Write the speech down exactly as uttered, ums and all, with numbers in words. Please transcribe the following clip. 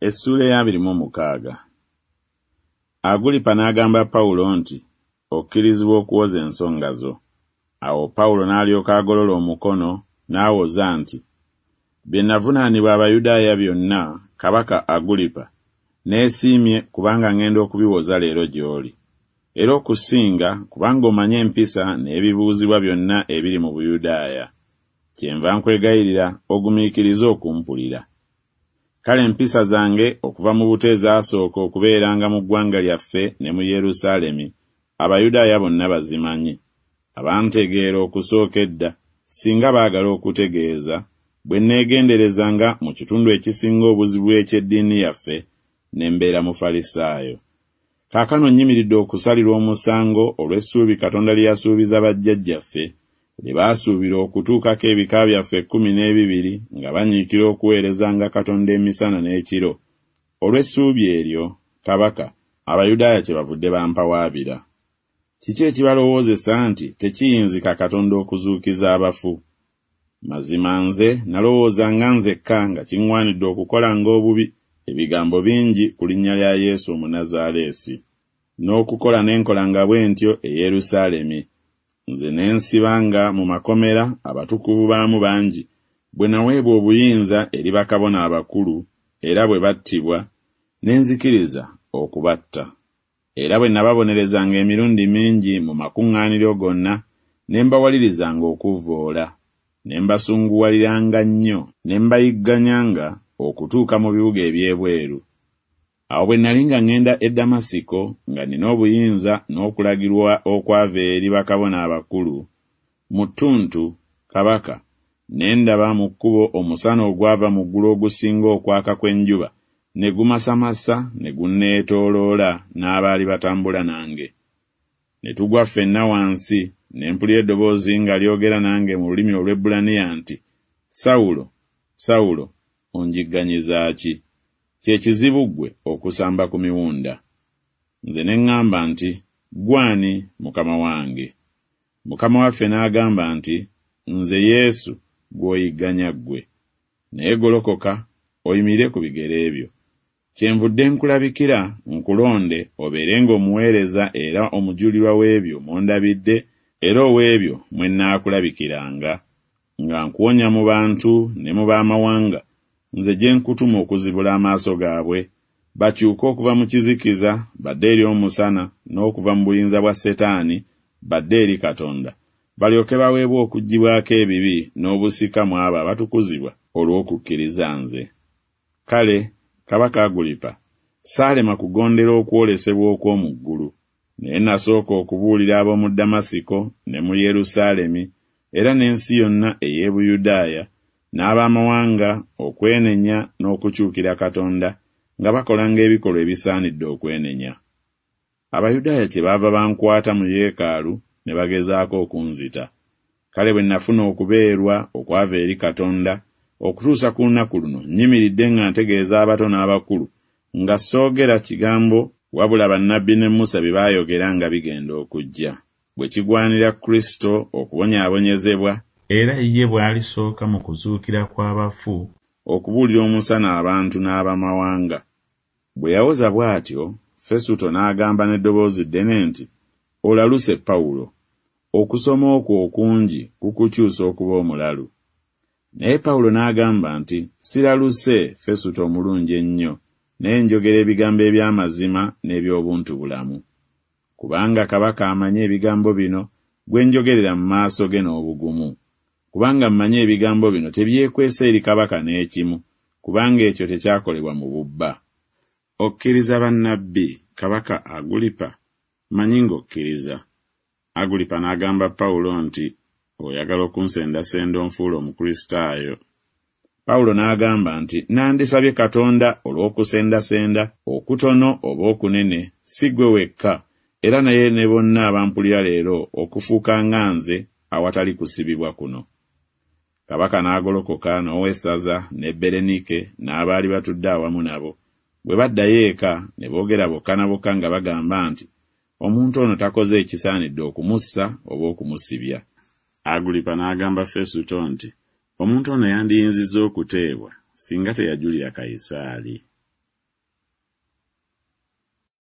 Essuula ey'abiri mu mukaaga. Agulipa n'agamba Pawulo nti, Okkirizibwa okuwoza ensonga zo. Awo Pawulo n'alyoka agolola omukono, n'awoza nti, Bye navunaanibwa Abayudaaya byonna, kabaka Agulipa, neesiimye kubanga ŋŋenda okubiwoza leero gy'oli. Era okusinga kubanga omanyi empisa n'ebibuuzibwa byonna ebiri mu Buyudaaya. Kyenva nkwegayirira ogumiikirize okumpulira. Kale empisa zange okuva mu buto ezaasooka okubeeranga mu ggwanga lyaffe ne mu Yerusaalemi, Abayudaaya bonna bazimanyi. Abantegeera okusooka edda, singa baagala okutegeeza, bwe neegenderezanga mu kitundu ekisinga obuzibu eky'eddiini yaffe, ne mbeera Mufalisaayo. Kaakano nnyimiridde okusalirwa omusango olw'essuubi Katonda lye yasuubiza bajjajjaffe, lye baasuubira okutuukako ebika byaffe ekkumi n'ebibiri nga banyiikira okuweerezanga Katonda emisana n'ekiro. Olw'essuubi eryo, kabaka, Abayudaaya kyebavudde bampawaabira. Kiki ekibalowoozesa nti tekiyinzika Katonda okuzuukiza abafu? Mazima nze nalowoozanga nzekka nga kiŋŋwanidde okukolanga obubi ebigambo bingi ku linnya lya Yesu Omunnazaaleesi. N'okukola ne nkolanga bwe ntyo e Yerusaalemi. Nze ne nsibanga mu makomera abatukuvu baamu bangi, bwe naweebwa obuyinza eri bakabona abakulu, era bwe battibwa, ne nzikiriza okubatta. Era bwe nababonerezanga emirundi mingi mu makuŋŋaaniro gonna, ne mbawalirizanga okuvvoola, ne mbasunguwaliranga nnyo, ne mbayigganyanga okutuuka mu bibuga eby'ebweru. Awo bwe nali nga ŋŋenda e Damasiko, nga nnina obuyinza n'okulagirwa okwava eri bakabona abakulu, mu ttuntu, kabaka, ne ndaba mu kkubo omusana ogwava mu ggulu ogusinga okwaka kw'enjuba, ne gumasamasa ne gunneetooloola n'abaali batambula nange. Ne tugwa ffenna wansi, ne mpulira eddoboozi nga lyogera nange mu lulimi Olwebbulaniya nti, Sawulo, Sawulo, onjigganyiza ki? Kye kizibu ggwe okusamba ku miwunda. Nze ne ŋŋamba nti, Ggwe ani, Mukama wange? Mukama waffe n'agamba nti, Nze Yesu gw'oyigganya ggwe. Naye golokoka, oyimirire ku bigere byo. Kyenvudde nkulabikira, nkulonde obeerenga omuweereza era omujulirwa w'ebyo mw'ondabidde era ow'ebyo mwe nnaakulabikiranga, nga nkuwonya mu bantu ne mu b'amawanga, nze gye nkutuma okuzibula amaaso gaabwe, bakyuke okuva mu kizikiza badde eri omusana, n'okuva mu buyinza bwa Setaani badde eri Katonda, balyoke baweebwe okuggyibwako ebibi n'obusika mu abo abatukuzibwa olw'okukkiriza nze. Kale, kabaka Agulipa, saalema kugondera okwolesebwa okw'omu ggulu, naye nasooka okubuulira ab'omu Damasiko ne mu Yerusaalemi era n'ensi yonna ey'e Buyudaaya n'ab'amawanga okwenenya n'okukyukira Katonda nga bakolanga ebikolwa ebisaanidde okwenenya. Abayudaaya kyebaava bankwata mu yeekaalu ne bagezaako okunzita. Kale bwe nafuna okubeerwa okwava eri Katonda, okutuusa ku lunaku luno nnyimiridde nga ntegeeza abato n'abakulu, nga soogera kigambo wabula bannabbi ne Musa bye baayogera nga bigenda okujja, bwe kigwanira Kristo okubonyaabonyezebwa, era ye bw'alisooka mu kuzuukira kw'abafu okubuulira omusana abantu n'abamawanga. Bwe yawoza bw'atyo, Fesuto n'agamba n'eddoboozi ddene nti, Olaluse Pawulo! Okusoma okwo okungi kukukyusa okuba omulalu. Naye Pawulo n'agamba nti, Siraluse, Fesuto omulungi ennyo, naye njogera ebigambo eby'amazima n'eby'obuntubulamu. Kubanga kabaka amanyi ebigambo bino, gwe njogerera mu maaso ge n'obugumu. Kubanga mmanyi ebigambo bino tebyekwese eri kabaka n'ekimu, kubanga ekyo tekyakolebwa mu bubba. Okkiriza bannabbi, kabaka Agulipa? Mmanyi ng'okkiriza. Agulipa n'agamba Pawulo nti, Oyagala okunsendasenda onfuule Omukristaayo? Pawulo n'agamba nti, Nandisabye Katonda olw'okusendasenda okutono oba okunene, si ggwe wekka, era naye ne bonna abampulira leero okufuuka nga nze awatali kusibibwa kuno. Kabaka n'agolokoka n'owessaza ne Berenike n'abaali batudde awamu nabo. Bwe baddayo eka, ne boogera bokka na bokka nga bagamba nti, Omuntu ono takoze ekisaanidde okumussa oba okumusibya. Agulipa n'agamba Fesuto nti, Omuntu ono yandiyinzizza okuteebwa, singa teyajulira Kayisaali.